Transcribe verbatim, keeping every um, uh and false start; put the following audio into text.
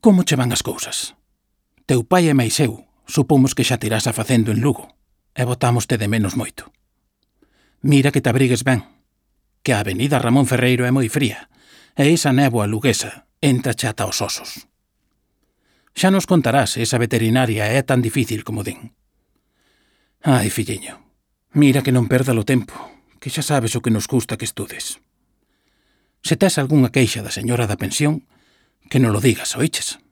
Como che van as cousas? Teu pai e máis eu supomos que xa tirás a facendo en Lugo e botámoste de menos moito. Mira que te abrigues ben, que a avenida Ramón Ferreiro é moi fría e esa néboa luguesa entra xa ata os osos. Xa nos contarás se esa veterinaria é tan difícil como din. Ai, filliño, mira que non perda o tempo, que xa sabes o que nos custa que estudes. Se tes algunha queixa da señora da pensión, que non lo digas, oiches?